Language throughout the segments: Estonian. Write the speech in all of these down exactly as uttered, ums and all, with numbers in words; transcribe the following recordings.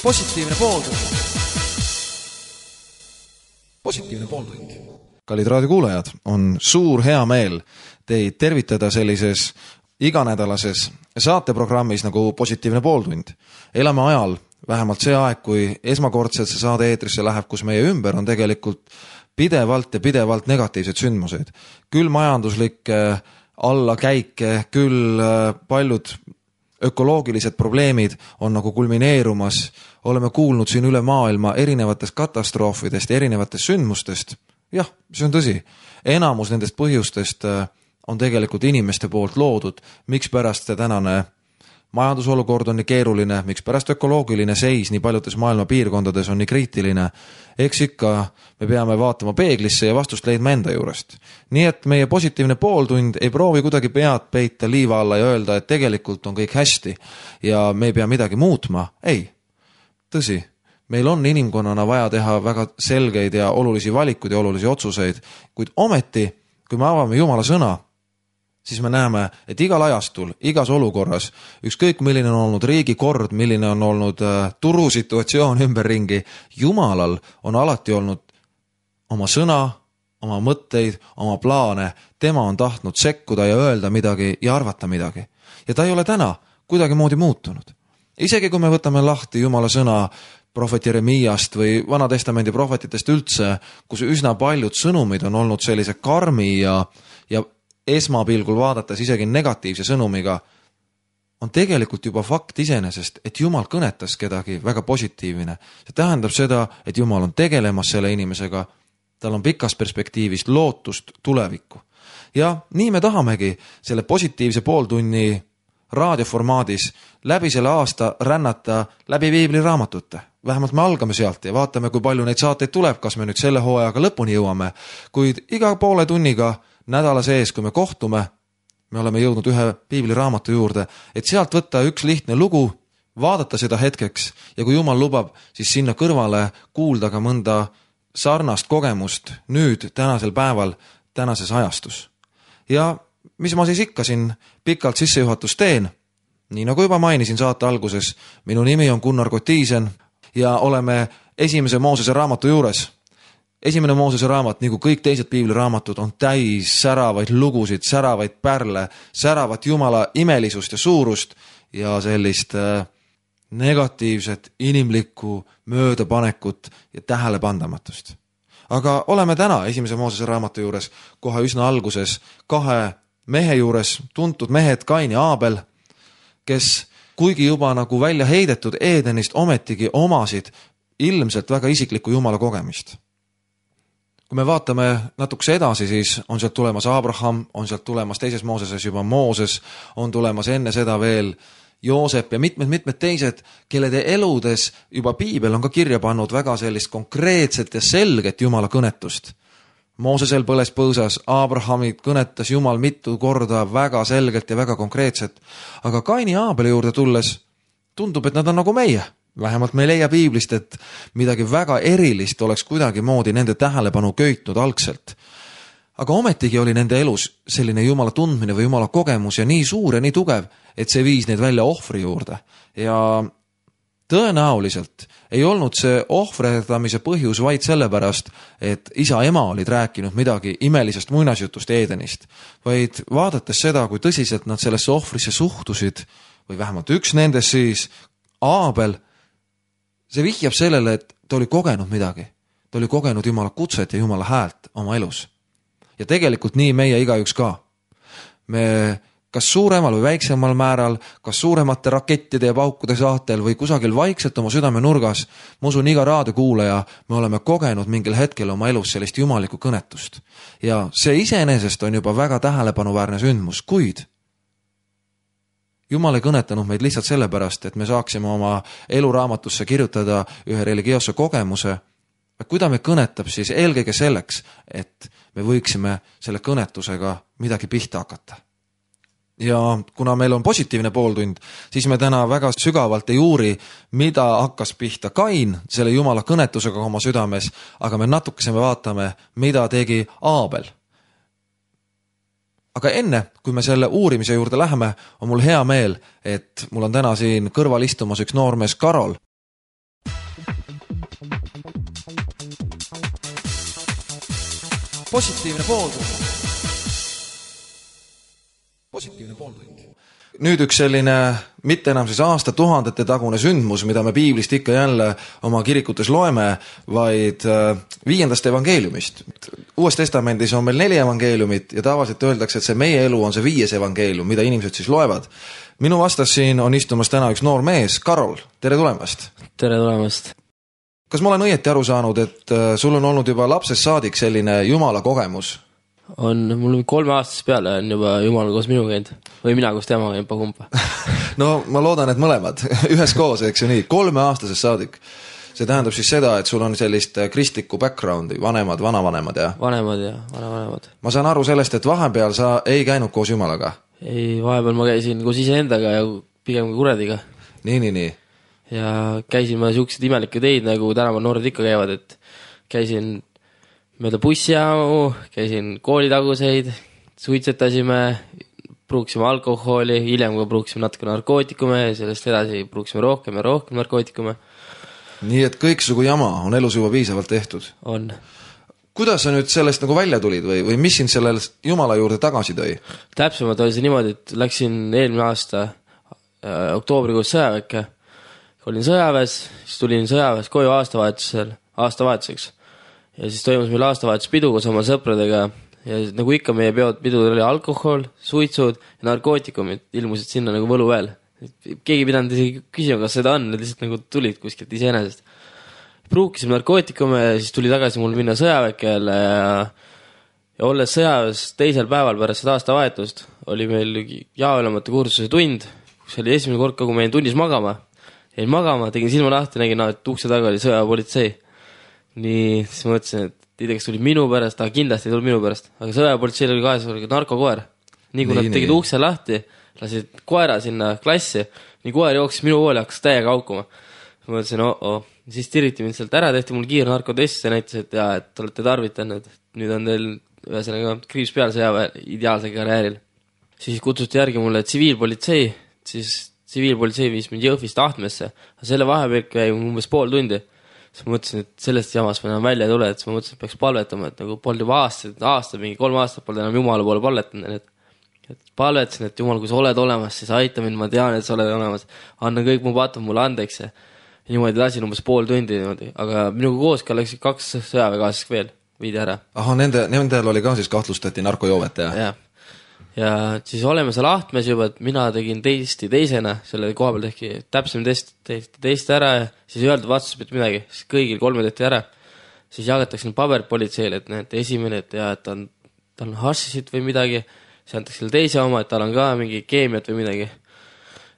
positiivne pooltund. Positiivne pooltund. Kallid raadiokuulajad, on suur hea meel teid tervitada sellises iganädalases saateprogrammis nagu Positiivne pooltund. Elame ajal, vähemalt see aeg, kui esmakordselt see saade eetrisse läheb, kus meie ümber on tegelikult pidevalt ja pidevalt negatiivsed sündmused. Küll majanduslikke allakäike, küll paljud ökoloogilised probleemid on nagu kulmineerumas. Oleme kuulnud siin üle maailma erinevatest katastroofidest ja erinevatest sündmustest. Jah, see on tõsi. Enamus nendest põhjustest on tegelikult inimeste poolt loodud. Miks pärast see tänane majandusolukord on nii keeruline, miks pärast ökoloogiline seis nii paljudes maailma piirkondades on nii kriitiline. Eks ikka me peame vaatama peeglisse ja vastust leidma enda juurest. Nii et meie positiivne pooltund ei proovi kuidagi pead peita liiva alla ja öelda, et tegelikult on kõik hästi ja me ei pea midagi muutma. Ei, tõsi, meil on inimkonnana vaja teha väga selgeid ja olulisi valikuid ja olulisi otsuseid, kuid ometi, kui me avame Jumala sõna, siis me näeme, et igal ajastul, igas olukorras, ükskõik milline on olnud riigi kord, milline on olnud äh, turusituatsioon ümberringi, Jumalal on alati olnud oma sõna, oma mõtteid, oma plaane, tema on tahtnud sekkuda ja öelda midagi ja arvata midagi. Ja ta ei ole täna kuidagi moodi muutunud. Isegi kui me võtame lahti Jumala sõna prohvet Jeremiast või Vana Testamendi prohvetitest üldse, kus üsna paljud sõnumid on olnud sellise karmi ja, ja esmapilgul vaadates isegi negatiivse sõnumiga, on tegelikult juba fakt iseenesest, et Jumal kõnetas kedagi väga positiivne. See tähendab seda, et Jumal on tegelemas selle inimesega, tal on pikas perspektiivis lootust tulevikku. Ja nii me tahamegi selle positiivse pooltunni raadioformaadis läbi selle aasta rännata läbi piibliraamatute. Vähemalt me algame sealt ja vaatame, kui palju neid saateid tuleb, kas me nüüd selle hooajaga lõpuni jõuame, kuid iga poole tunniga nädala sees, kui me kohtume, me oleme jõudnud ühe piibliraamatu juurde, et sealt võtta üks lihtne lugu, vaadata seda hetkeks ja kui Jumal lubab, siis sinna kõrvale kuulda ka mõnda sarnast kogemust nüüd, tänasel päeval, tänases ajastus. Ja mis ma siis ikka siin pikalt sissejuhatus teen? Nii nagu juba mainisin saate alguses, minu nimi on Gunnar Kotiisen ja oleme esimese Moosese raamatu juures. Esimene Moosese raamat, nagu kõik teised piibliraamatud, on täis säravaid lugusid, säravaid pärle, säravat Jumala imelisust ja suurust ja sellist äh, negatiivset, inimlikku möödapanekut ja tähelepandamatust. Aga oleme täna esimese Moosese raamatu juures kohe üsna alguses kahe mehe juures, tuntud mehed Kain ja Aabel, kes kuigi juba nagu välja heidetud Eedenist ometigi omasid ilmselt väga isiklikku Jumala kogemist. Kui me vaatame natukese edasi, siis on sealt tulemas Abraham, on sealt tulemas teises Mooseses juba Mooses, on tulemas enne seda veel Joosep ja mitmed-mitmed teised, kellede eludes juba piibel on ka kirja pannud väga sellist konkreetset ja selget Jumala kõnetust. Moosesel põles põõsas, Abrahamid kõnetas Jumal mitu korda väga selgelt ja väga konkreetset, aga Kaini ja Aabeli juurde tulles tundub, et nad on nagu meie. Vähemalt me ei leia piiblist, et midagi väga erilist oleks kuidagi moodi nende tähelepanu köitnud algselt. Aga ometigi oli nende elus selline Jumala tundmine või Jumala kogemus ja nii suur ja nii tugev, et see viis neid välja ohvri juurde. Ja tõenäoliselt ei olnud see ohvretamise põhjus vaid sellepärast, et isa-ema olid rääkinud midagi imelisest muinasjutust Eedenist, vaid vaadates seda, kui tõsiselt nad sellesse ohvrisse suhtusid, või vähemalt üks nendest siis, Aabel, see vihjab sellele, et ta oli kogenud midagi. Ta oli kogenud Jumala kutset ja Jumala häält oma elus. Ja tegelikult nii meie igaüks ka. Me kas suuremal või väiksemal määral, kas suuremate rakettide ja paukude saatel või kusagil vaikselt oma südame nurgas, ma usun iga raadiokuulaja, me oleme kogenud mingil hetkel oma elus sellist jumalikku kõnetust. Ja see iseenesest on juba väga tähelepanuväärne sündmus, kuid Jumal ei kõnetanud meid lihtsalt sellepärast, et me saaksime oma eluraamatusse kirjutada ühe religioosse kogemuse. Kui ta me kõnetab, siis eelkõige selleks, et me võiksime selle kõnetusega midagi pihta hakata. Ja kuna meil on positiivne pooltund, siis me täna väga sügavalt ei uuri, mida hakkas pihta Kain selle Jumala kõnetusega oma südames, aga me natukese me vaatame, mida tegi Aabel. aga enne, kui me selle uurimise juurde läheme, on mul hea meel, et mul on täna siin kõrval istumas üks noormees Karol. Positiivne pooltund. Positiivne pooltund. Nüüd üks selline mitte enam siis aasta tuhandete tagune sündmus, mida me piiblist ikka jälle oma kirikutes loeme, vaid viiendast evangeeliumist. Uues testamendis on meil neli evangeeliumit ja tavaliselt öeldakse, et see meie elu on see viies evangeelium, mida inimesed siis loevad. Minu vastas siin on istumas täna üks noor mees, Karol, tere tulemast. Tere tulemast. Kas ma olen õieti aru saanud, et sul on olnud juba lapsest saadik selline Jumala kogemus? On, mul kolme aastas peale on juba Jumal koos minu käinud. Või mina koos tema käinud kumpa. No ma loodan, et mõlemad. Ühes koos, eks ju nii. Kolme aastasest saadik. See tähendab siis seda, et sul on sellist kristlikku backgroundi, vanemad, vanavanemad ja... Vanemad ja vanavanemad. Ma saan aru sellest, et vahepeal sa ei käinud koos Jumalaga. Ei, vahepeal ma käisin koos iseendaga ja pigem kurediga. Nii, nii, nii. Ja käisin ma siuksed imelikke teid, nagu tänaval noored ikka käivad, et käisin mööda bussijaamu, käisin koolitaguseid, suitsetasime, pruuksime alkoholi, hiljem ka pruuksime natuke narkootikume ja sellest edasi pruuksime rohkem ja rohkem narkootikume. Nii et kõiksugu jama on elus juba piisavalt tehtud? On. Kuidas sa nüüd sellest nagu välja tulid või, või mis sind sellel Jumala juurde tagasi tõi? Täpsemalt oli see niimoodi, et läksin eelmine aasta äh, oktoobrikuus sõjaväkke. Olin sõjaväes, siis tulin sõjaväes koju aastavahetusel, aastavahetuseks. Ja siis toimus meil aastavahetuspidu koos oma sõpradega ja nagu ikka meie peod, pidudel oli alkohol, suitsud ja narkootikumid ilmusid sinna nagu võlu veel. Keegi pidanud isegi küsima, kas seda on, need lihtsalt nagu tulid kuskilt iseenesest. Pruukisime narkootikume ja siis tuli tagasi mul minna sõjaväkkele ja, ja olles sõjaväes teisel päeval pärast seda aastavahetust oli meil jaoülemate kursuse tund, kus oli esimene kord, kui ma jäin tunnis magama. Jäin magama, tegin silma lahti, nägin, et ukse taga oli sõjapolitsei. Nii, siis mõtlesin, et ei tea, kas tuli minu pärast, aga kindlasti ei tuli minu pärast. Aga sõjapolitseil oli kahes narkokoer. Nii kui nii, nad tegid nii. Ukse lahti, lasid koera sinna klassi, nii koer jooksis minu poole ja hakkas täiega haukuma. Mõtlesin, oh, oh. Siis tiriti mind sealt ära, tehti mul kiir narkotest ja näitas, et, jaa, et olete tarvitanud. Nüüd on teil ühesõnaga kriips peal sõjaväe ideaalse karjääril. Siis kutsuti järgi mulle tsiviilpolitsei, siis tsiviilpolitsei viis mind Jõhvist Ahtmesse. Selle vahepeal käi umbes pool tundi. Siis ma mõtlesin, et sellest jamast ma enam välja ei tule, et ma mõtlesin, et peaks palvetama, et nagu polnud juba aastaid, aasta, mingi kolm aastat polnud enam Jumala poole palvetanud. Et, et palvetasin, et Jumal, kui sa oled olemas, siis aita mind, ma tean, et sa oled olemas. Anna kõik mu patud mulle andeks. Ja niimoodi lasin umbes pool tundi niimoodi. Aga minuga koos ka läksid kaks sõjaväekaaslaseks veel, viidi ära. Aha, nende, nendel oli ka siis kahtlustati narkojoovet, jah? Jah. Ja siis oleme seal Ahtmes juba, et mina tegin teisti teisena, selle koha peal tehki täpsem test, tehti teist ära ja siis ei öeldud vastus mitte midagi, siis kõigil kolme tehti ära. Siis jagatakse paberpolitseile, et näete esimene, et, ja, et ta on, ta on hassisid või midagi, siis antakse selle teise oma, et tal on ka mingi keemiat või midagi.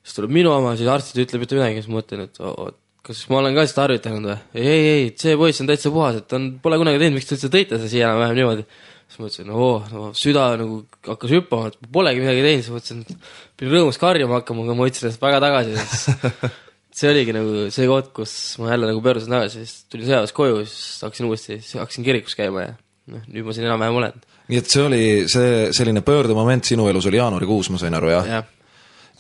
Siis tuleb minu oma, siis arstid ütleb mitte midagi, siis mõtlen, et o, o, kas ma olen ka seda tarvitanud või? Ei, ei, ei, see poiss on täitsa puhas, et ta on, pole kunagi teinud, miks te üldse tõite see siia vähem niimoodi. Siis mõtlesin, oo, no, süda nagu hakkas hüppama, et polegi midagi teinud, siis mõtlesin, et pidin rõõmus karjama hakkama, aga ma võtsin ennast väga tagasi. See oligi nagu see koht, kus ma jälle nagu pöörusin tagasi, siis tulin sõjaväes koju, siis hakkasin uuesti, hakkasin kirikus käima ja no, nüüd ma siin enam vähem olen. Nii et see oli see selline pöördemoment sinu elus oli jaanuarikuus, ma sain aru, jah? Jah.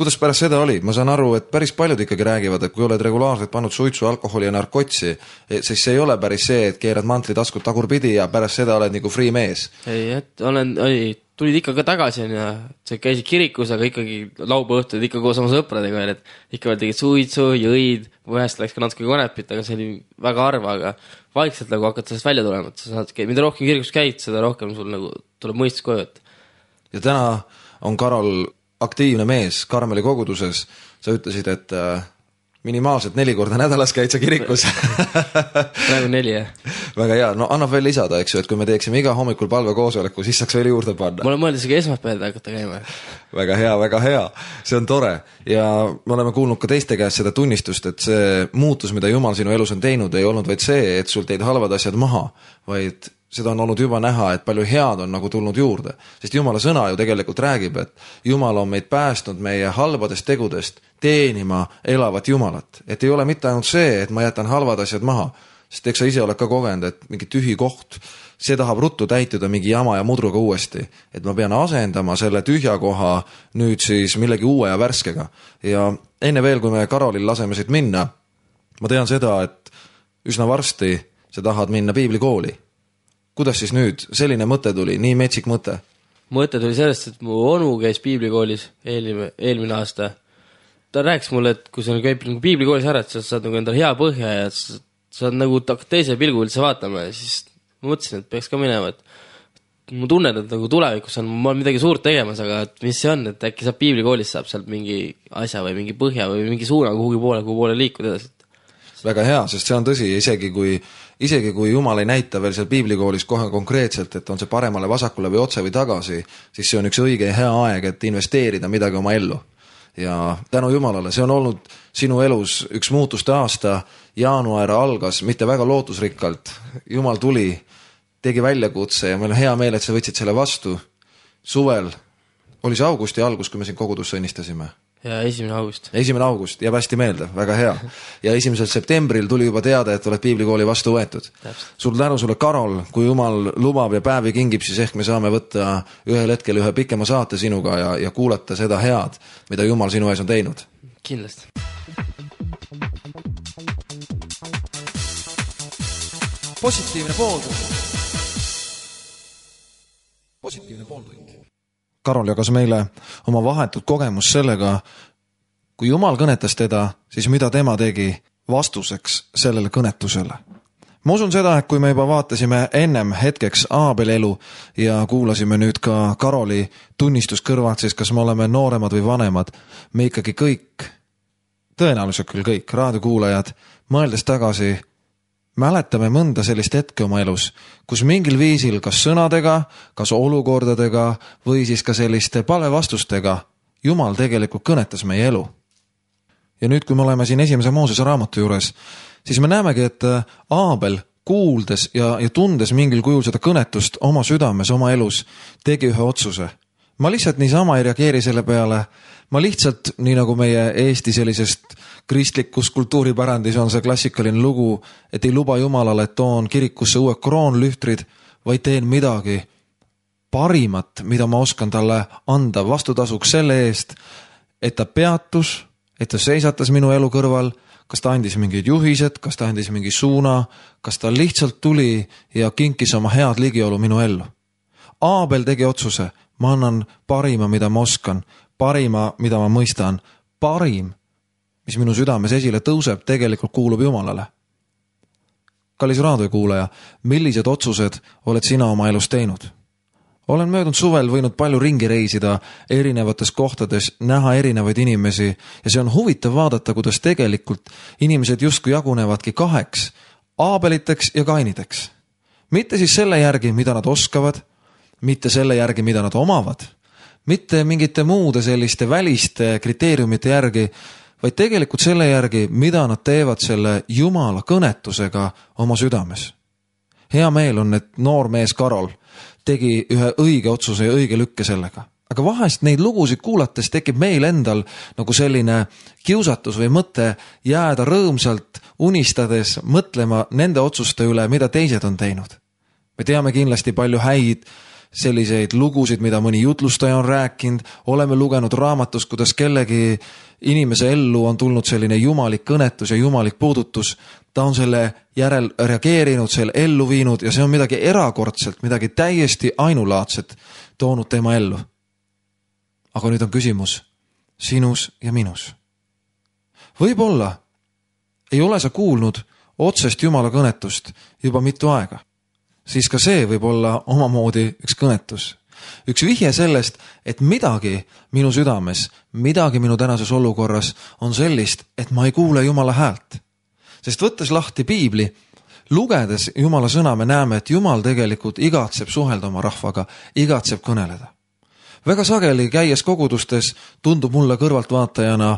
Kuidas pärast seda oli? Ma saan aru, et päris paljud ikkagi räägivad, et kui oled regulaarselt pannud suitsu, alkoholi ja narkotsi, siis see ei ole päris see, et keerad mantli taskut tagurpidi ja pärast seda oled nagu free mees. Ei, et olen, oli, tulid ikka ka tagasi ja see käisid kirikus, aga ikkagi lauba õhtud ikka koos oma sõpradega veel, et ikka veel tegid suitsu, jõid, vahest läks ka natuke konepit, aga see oli väga harva, aga vaikselt nagu hakkad sellest välja tulema, et sa saad, mida rohkem kirikus käid, seda rohkem sul nagu tuleb mõistus koju. Et... Ja täna on Karol aktiivne mees Karmeli koguduses, sa ütlesid, et äh, minimaalselt neli korda nädalas käid sa kirikus. Praegu neli, jah. Väga hea, no annab veel lisada, eks ju, et kui me teeksime iga hommikul palvekoosoleku, siis saaks veel juurde panna. Ma olen mõeldes ka esmaspäevad hakata käima. Väga hea, väga hea, see on tore ja me oleme kuulnud ka teiste käest seda tunnistust, et see muutus, mida Jumal sinu elus on teinud, ei olnud vaid see, et sul teid halvad asjad maha, vaid seda on olnud juba näha, et palju head on nagu tulnud juurde. Sest Jumala sõna ju tegelikult räägib, et Jumal on meid päästnud meie halbadest tegudest teenima elavat Jumalat. Et ei ole mitte ainult see, et ma jätan halvad asjad maha. sest eks sa ise oled ka kogenud, et mingi tühi koht, see tahab ruttu täituda mingi jama ja mudruga uuesti, et ma pean asendama selle tühja koha nüüd siis millegi uue ja värskega. Ja enne veel, kui me Karolil laseme siit minna, ma tean seda, et üsna varsti sa tahad minna piiblikooli. Kuidas siis nüüd selline mõte tuli, nii metsik mõte? Mõte tuli sellest, et mu onu käis piiblikoolis eelmine, eelmine aasta. Ta rääkis mulle, et kui sa käib nagu piiblikoolis ära, et sa saad nagu endale hea põhja ja sa saad nagu teise pilgu üldse vaatama ja siis ma mõtlesin, et peaks ka minema, et mu tunned, et nagu tulevikus on ma midagi suurt tegemas, aga et mis see on, et äkki saab piiblikoolis saab sealt mingi asja või mingi põhja või mingi suuna kuhugi poole, kuhu poole liikuda edasi. Väga hea, sest see on tõsi, isegi kui, isegi kui Jumal ei näita veel seal piiblikoolis kohe konkreetselt, et on see paremale, vasakule või otse või tagasi, siis see on üks õige ja hea aeg, et investeerida midagi oma ellu. Ja tänu Jumalale, see on olnud sinu elus üks muutuste aasta, jaanuar algas mitte väga lootusrikkalt, Jumal tuli, tegi väljakutse ja meil on hea meel, et sa võtsid selle vastu. Suvel oli see augusti algus, kui me siin kogudusse õnnistasime. Ja esimene august. Esimene august, jääb hästi meelde, väga hea. Ja esimesel septembril tuli juba teada, et oled piiblikooli vastu võetud. Sul tänu sulle, Karol, kui Jumal lubab ja päevi kingib, siis ehk me saame võtta ühel hetkel ühe pikema saate sinuga ja, ja kuulata seda head, mida Jumal sinu ees on teinud. Kindlasti. Positiivne pooltund. Positiivne pooltund. Karol jagas meile oma vahetut kogemus sellega, kui Jumal kõnetas teda, siis mida tema tegi vastuseks sellele kõnetusele. Ma usun seda, et kui me juba vaatasime ennem hetkeks Aabeli elu ja kuulasime nüüd ka Karoli tunnistus kõrvalt, siis kas me oleme nooremad või vanemad, me ikkagi kõik, tõenäoliselt küll kõik raadiokuulajad, mõeldes tagasi, mäletame mõnda sellist hetke oma elus, kus mingil viisil kas sõnadega, kas olukordadega või siis ka selliste palevastustega Jumal tegelikult kõnetas meie elu. Ja nüüd, kui me oleme siin esimese Moosese raamatu juures, siis me näemegi, et Aabel kuuldes ja, ja tundes mingil kujul seda kõnetust oma südames, oma elus, tegi ühe otsuse. Ma lihtsalt niisama ei reageeri selle peale, ma lihtsalt, nii nagu meie Eesti sellisest kristlikus kultuuripärandis on see klassikaline lugu, et ei luba Jumalale, et toon kirikusse uue kroonlühtrid, vaid teen midagi parimat, mida ma oskan talle anda vastutasuks selle eest, et ta peatus, et ta seisatas minu elu kõrval, kas ta andis mingid juhised, kas ta andis mingi suuna, kas ta lihtsalt tuli ja kinkis oma head ligiolu minu ellu. Aabel tegi otsuse, ma annan parima, mida ma oskan, parima, mida ma mõistan, parim, mis minu südames esile tõuseb, tegelikult kuulub Jumalale. Kallis raadiokuulaja, millised otsused oled sina oma elus teinud? Olen möödunud suvel võinud palju ringi reisida erinevates kohtades, näha erinevaid inimesi ja see on huvitav vaadata, kuidas tegelikult inimesed justkui jagunevadki kaheks, Aabeliteks ja Kainideks. Mitte siis selle järgi, mida nad oskavad, mitte selle järgi, mida nad omavad, mitte mingite muude selliste väliste kriteeriumite järgi, vaid tegelikult selle järgi, mida nad teevad selle Jumala kõnetusega oma südames. Hea meel on, et noor mees Karol tegi ühe õige otsuse ja õige lükke sellega. Aga vahest neid lugusid kuulates tekib meil endal nagu selline kiusatus või mõte jääda rõõmsalt unistades mõtlema nende otsuste üle, mida teised on teinud. Me teame kindlasti palju häid selliseid lugusid, mida mõni jutlustaja on rääkinud, oleme lugenud raamatus, kuidas kellegi inimese ellu on tulnud selline jumalik kõnetus ja jumalik puudutus, ta on selle järel reageerinud, selle ellu viinud ja see on midagi erakordselt, midagi täiesti ainulaadset toonud tema ellu. Aga nüüd on küsimus sinus ja minus. Võib-olla ei ole sa kuulnud otsest Jumala kõnetust juba mitu aega. Siis ka see võib olla omamoodi üks kõnetus. Üks vihje sellest, et midagi minu südames, midagi minu tänases olukorras on sellist, et ma ei kuule Jumala häält. Sest võttes lahti piibli, lugedes Jumala sõna, me näeme, et Jumal tegelikult igatseb suhelda oma rahvaga, igatseb kõneleda. Väga sageli käies kogudustes tundub mulle kõrvaltvaatajana,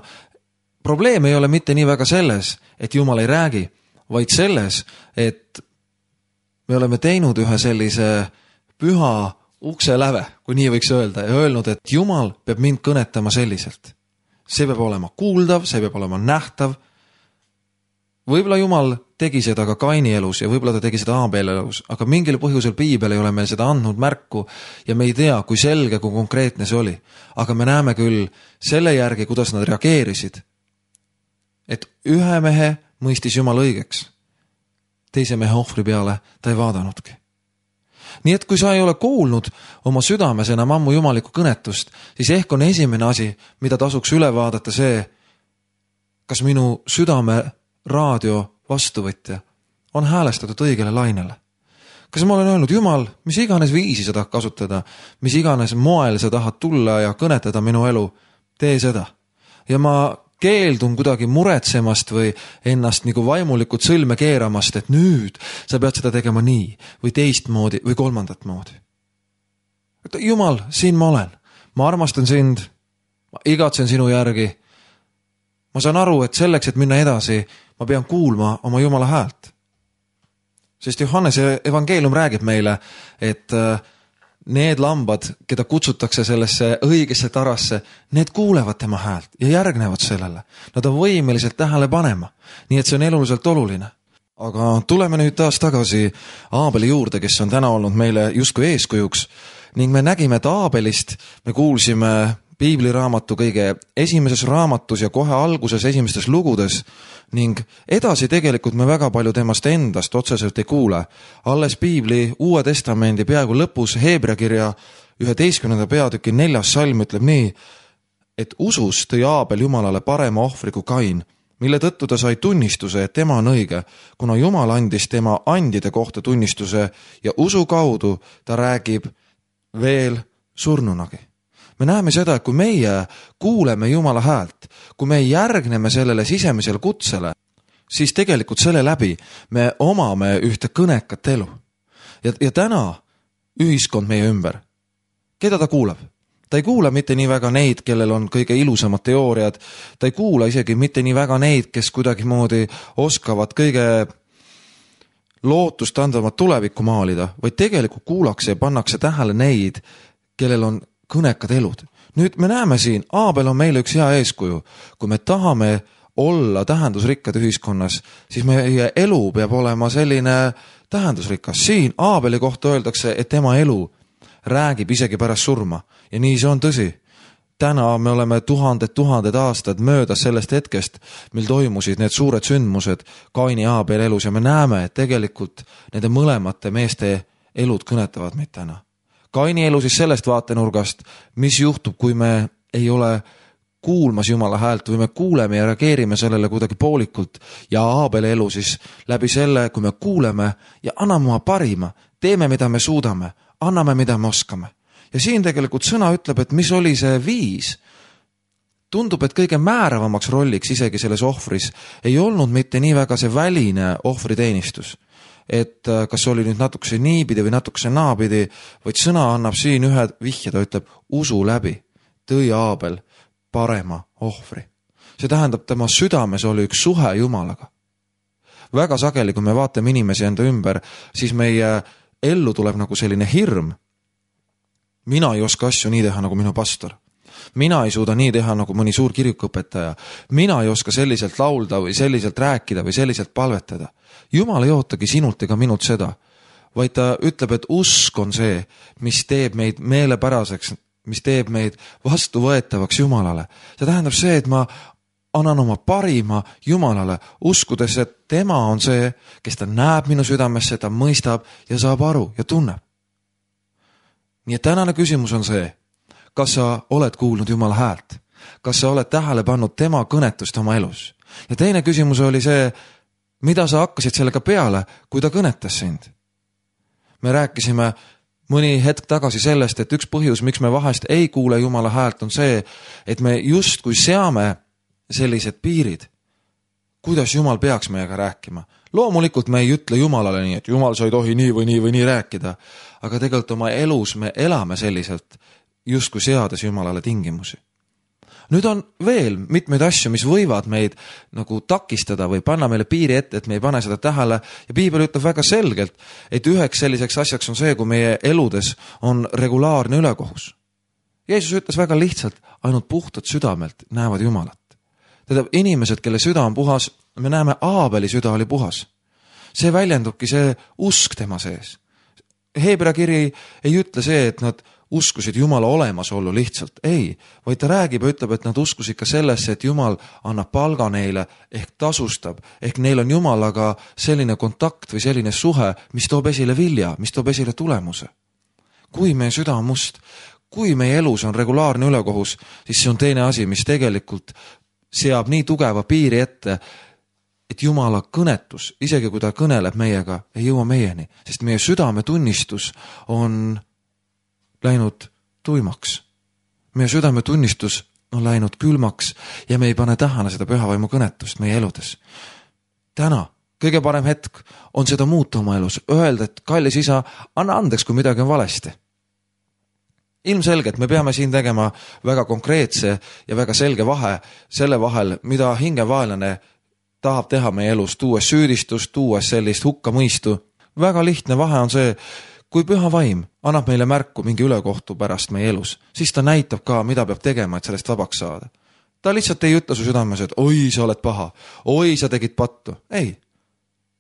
probleem ei ole mitte nii väga selles, et Jumal ei räägi, vaid selles, et me oleme teinud ühe sellise püha ukse läve, kui nii võiks öelda, ja öelnud, et Jumal peab mind kõnetama selliselt. See peab olema kuuldav, see peab olema nähtav. võib-olla Jumal tegi seda ka Kaini elus ja võib-olla ta tegi seda Aabeli elus, aga mingil põhjusel piibel ei ole meil seda andnud märku ja me ei tea, kui selge, kui konkreetne see oli. Aga me näeme küll selle järgi, kuidas nad reageerisid, et ühe mehe mõistis Jumal õigeks, teise mehe ohvri peale ta ei vaadanudki. Nii et kui sa ei ole kuulnud oma südames enam ammu jumalikku kõnetust, siis ehk on esimene asi, mida tasuks üle vaadata see, kas minu südame raadio vastuvõtja on häälestatud õigele lainele. Kas ma olen öelnud, Jumal, mis iganes viisi sa tahad kasutada, mis iganes moel sa tahad tulla ja kõnetada minu elu, tee seda. Ja ma keeldun kuidagi muretsemast või ennast nagu vaimulikult sõlme keeramast, et nüüd sa pead seda tegema nii või teistmoodi või kolmandat moodi. Jumal, siin ma olen. Ma armastan sind, ma igatsen sinu järgi. Ma saan aru, et selleks, et minna edasi, ma pean kuulma oma Jumala häält. Sest Johannese evangeelium räägib meile, et need lambad, keda kutsutakse sellesse õigesse tarasse, need kuulevad tema häält ja järgnevad sellele. Nad on võimelised tähele panema, nii et see on eluliselt oluline. Aga tuleme nüüd taas tagasi Aabeli juurde, kes on täna olnud meile justkui eeskujuks ning me nägime, et Aabelist me kuulsime piibliraamatu kõige esimeses raamatus ja kohe alguses esimestes lugudes ning edasi tegelikult me väga palju temast endast otseselt ei kuule. Alles piibli Uue Testamendi peaaegu lõpus Heebrea kirja üheteistkümnenda peatüki neljas salm ütleb nii, et usus tõi Aabel Jumalale parema ohvri kui Kain, mille tõttu ta sai tunnistuse, et tema on õige, kuna Jumal andis tema andide kohta tunnistuse ja usu kaudu ta räägib veel surnunagi. Me näeme seda, et kui meie kuuleme Jumala häält, kui me järgneme sellele sisemisele kutsele, siis tegelikult selle läbi me omame ühte kõnekat elu. Ja, ja täna ühiskond meie ümber, keda ta kuulab? Ta ei kuula mitte nii väga neid, kellel on kõige ilusamad teooriad, ta ei kuula isegi mitte nii väga neid, kes kuidagi moodi oskavad kõige lootust andvamat tulevikku maalida, vaid tegelikult kuulakse ja pannakse tähele neid, kellel on kõnekad elud. Nüüd me näeme siin, Aabel on meile üks hea eeskuju. Kui me tahame olla tähendusrikkad ühiskonnas, siis meie elu peab olema selline tähendusrikas. Siin Aabeli kohta öeldakse, et tema elu räägib isegi pärast surma. Ja nii see on tõsi. Täna me oleme tuhanded, tuhanded aastad möödas sellest hetkest, mil toimusid need suured sündmused Kaini ja Aabeli elus ja me näeme, et tegelikult nende mõlemate meeste elud kõnetavad meid täna. Kaini elu siis sellest vaatenurgast, mis juhtub, kui me ei ole kuulmas Jumala häält või me kuuleme ja reageerime sellele kuidagi poolikult ja Aabeli elu siis läbi selle, kui me kuuleme ja anname oma parima, teeme, mida me suudame, anname, mida me oskame. Ja siin tegelikult sõna ütleb, et mis oli see viis. Tundub, et kõige määravamaks rolliks isegi selles ohvris ei olnud mitte nii väga see väline ohvriteenistus. Et kas oli nüüd natukese niipidi või natukese naapidi, vaid sõna annab siin ühe vihje, ta ütleb usu läbi, tõi Aabel parema ohvri. See tähendab, tema südames oli üks suhe Jumalaga. Väga sageli, kui me vaatame inimesi enda ümber, siis meie ellu tuleb nagu selline hirm. Mina ei oska asju nii teha nagu minu pastor. Mina ei suuda nii teha nagu mõni suur kirikuõpetaja. Mina ei oska selliselt laulda või selliselt rääkida või selliselt palvetada. Jumal ei ootagi sinult ega minult seda, vaid ta ütleb, et usk on see, mis teeb meid meelepäraseks, mis teeb meid vastuvõetavaks Jumalale. See tähendab see, et ma annan oma parima Jumalale, uskudes, et tema on see, kes ta näeb minu südamesse, ta mõistab ja saab aru ja tunneb. Nii et tänane küsimus on see, kas sa oled kuulnud Jumala häält? Kas sa oled tähele pannud tema kõnetust oma elus? Ja teine küsimus oli see, mida sa hakkasid sellega peale, kui ta kõnetas sind? Me rääkisime mõni hetk tagasi sellest, et üks põhjus, miks me vahest ei kuule Jumala häält, on see, et me just kui seame sellised piirid, kuidas Jumal peaks meiega rääkima. Loomulikult me ei ütle Jumalale nii, et Jumal sa ei tohi nii või nii või nii rääkida, aga tegelikult oma elus me elame selliselt, just kui seades Jumalale tingimusi. Nüüd on veel mitmeid asju, mis võivad meid nagu takistada või panna meile piiri ette, et me ei pane seda tähele ja piibel ütleb väga selgelt, et üheks selliseks asjaks on see, kui meie eludes on regulaarne ülekohus. Jeesus ütles väga lihtsalt, ainult puhtad südamelt näevad Jumalat. Tähendab, inimesed, kelle süda on puhas, me näeme, Aabeli süda oli puhas. See väljendubki see usk tema sees. Heebrea kiri ei ütle see, et nad uskusid Jumala olemasollu lihtsalt. Ei, vaid ta räägib ja ütleb, et nad uskusid ka sellesse, et Jumal annab palga neile ehk tasustab, ehk neil on Jumalaga selline kontakt või selline suhe, mis toob esile vilja, mis toob esile tulemuse. Kui meie süda on must, kui meie elus on regulaarne ülekohus, siis see on teine asi, mis tegelikult seab nii tugeva piiri ette, et Jumala kõnetus, isegi kui ta kõneleb meiega, ei jõua meieni, sest meie südame tunnistus on läinud tuimaks. Meie südame tunnistus on läinud külmaks ja me ei pane tähele seda pühavaimu kõnetust meie eludes. Täna kõige parem hetk on seda muuta oma elus, öelda, et kallis isa, anna andeks, kui midagi on valesti. Ilmselgelt me peame siin tegema väga konkreetse ja väga selge vahe selle vahel, mida hingevaenlane tahab teha meie elus, tuues süüdistust, tuues sellist hukkamõistu. Väga lihtne vahe on see, kui püha vaim annab meile märku mingi ülekohtu pärast meie elus, siis ta näitab ka, mida peab tegema, et sellest vabaks saada. Ta lihtsalt ei ütle su südames, et oi, sa oled paha, oi, sa tegid pattu. Ei,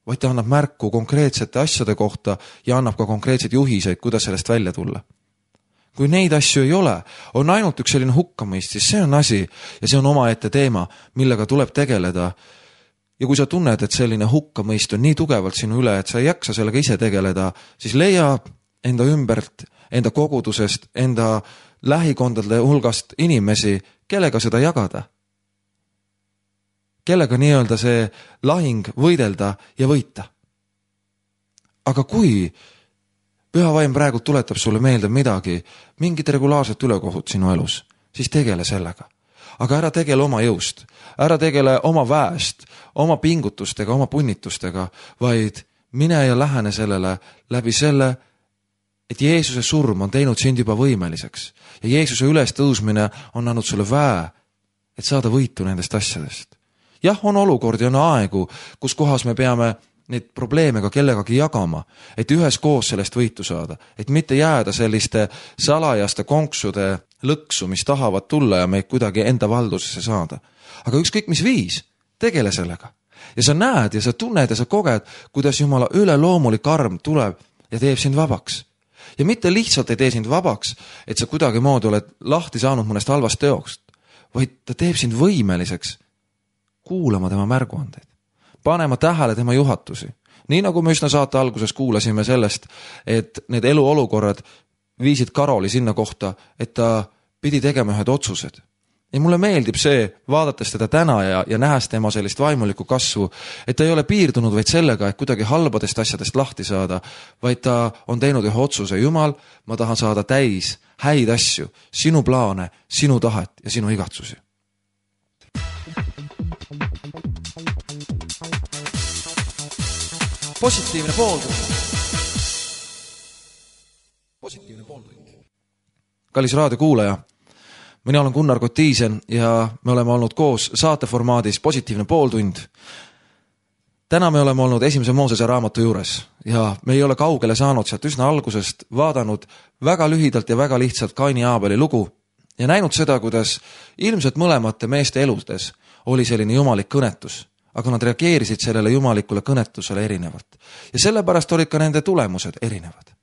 vaid ta annab märku konkreetsete asjade kohta ja annab ka konkreetseid juhiseid, kuidas sellest välja tulla. Kui neid asju ei ole, on ainult üks selline hukkamõist, siis see on asi ja see on omaette teema, millega tuleb tegeleda. Ja kui sa tunned, et selline hukkamõist on nii tugevalt sinu üle, et sa ei jaksa sellega ise tegeleda, siis leia enda ümbert, enda kogudusest, enda lähikondade hulgast inimesi, kellega seda jagada. Kellega nii-öelda see lahing võidelda ja võita. Aga kui püha vaim praegu tuletab sulle meelde midagi, mingit regulaarset ülekohut sinu elus, siis tegele sellega. Aga ära tegele oma jõust, ära tegele oma väest, oma pingutustega, oma punnitustega, vaid mine ja lähene sellele läbi selle, et Jeesuse surm on teinud sind juba võimeliseks ja Jeesuse üles tõusmine on andnud sulle väe, et saada võitu nendest asjadest. Jah, on olukord ja on aegu, kus kohas me peame neid probleeme ka kellegagi jagama, et ühes koos sellest võitu saada, et mitte jääda selliste salajaste konksude lõksu, mis tahavad tulla ja meid kuidagi enda valdusesse saada. Aga ükskõik mis viis, tegele sellega. Ja sa näed ja sa tunned ja sa koged, kuidas Jumala üleloomulik arm tuleb ja teeb sind vabaks. Ja mitte lihtsalt ei tee sind vabaks, et sa kuidagi moodi oled lahti saanud mõnest halvast teost, vaid ta teeb sind võimeliseks kuulama tema märguandeid, panema tähele tema juhatusi. Nii nagu me üsna saate alguses kuulasime sellest, et need eluolukorrad viisid Karoli sinna kohta, et ta pidi tegema ühed otsused. Ja mulle meeldib see, vaadates teda täna ja, ja nähes tema sellist vaimulikku kasvu, et ta ei ole piirdunud vaid sellega, et kuidagi halbadest asjadest lahti saada, vaid ta on teinud ühe otsuse. Jumal, ma tahan saada täis häid asju, sinu plaane, sinu tahet ja sinu igatsusi. Positiivne pooldus. Positiivne pooldus. Kallis raadiokuulaja, mina olen Gunnar Kotiisen ja me oleme olnud koos saateformaadis Positiivne pooltund. Täna me oleme olnud esimese Moosese raamatu juures ja me ei ole kaugele saanud sealt üsna algusest, vaadanud väga lühidalt ja väga lihtsalt Kaini ja Aabeli lugu ja näinud seda, kuidas ilmselt mõlemate meeste eludes oli selline jumalik kõnetus, aga nad reageerisid sellele jumalikule kõnetusele erinevalt. Ja sellepärast olid ka nende tulemused erinevad.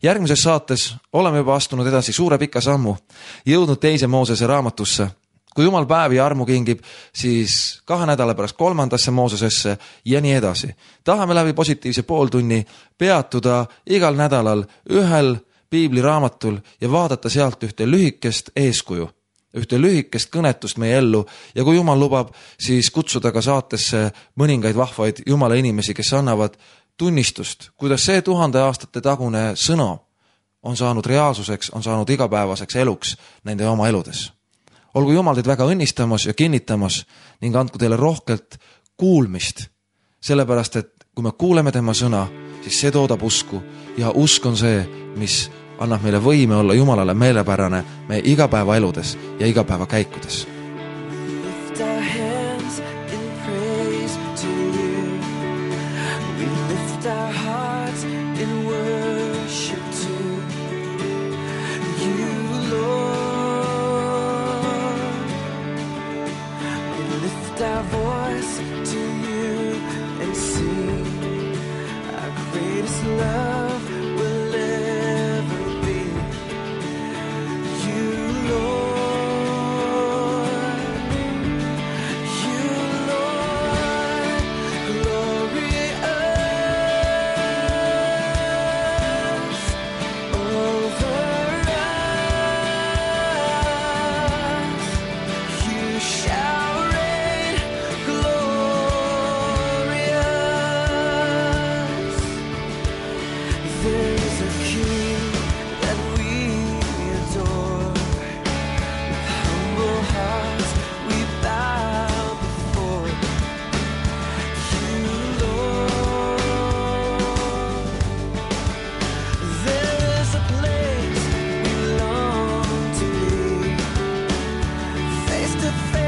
Järgmises saates oleme juba astunud edasi suure pika sammu, jõudnud teise Moosese raamatusse. Kui Jumal päevi armu kingib, siis kahe nädala pärast kolmandasse Moosesesse ja nii edasi. Tahame läbi positiivse pooltunni peatuda igal nädalal ühel piibliraamatul ja vaadata sealt ühte lühikest eeskuju, ühte lühikest kõnetust meie ellu ja kui Jumal lubab, siis kutsuda ka saatesse mõningaid vahvaid Jumala inimesi, kes annavad tunnistust, kuidas see tuhande aastate tagune sõna on saanud reaalsuseks, on saanud igapäevaseks eluks nende oma eludes. Olgu Jumal teid väga õnnistamas ja kinnitamas ning andku teile rohkelt kuulmist, sellepärast et kui me kuuleme tema sõna, siis see toodab usku ja usk on see, mis annab meile võime olla Jumalale meelepärane meie igapäeva eludes ja igapäeva käikudes. Our voice to to face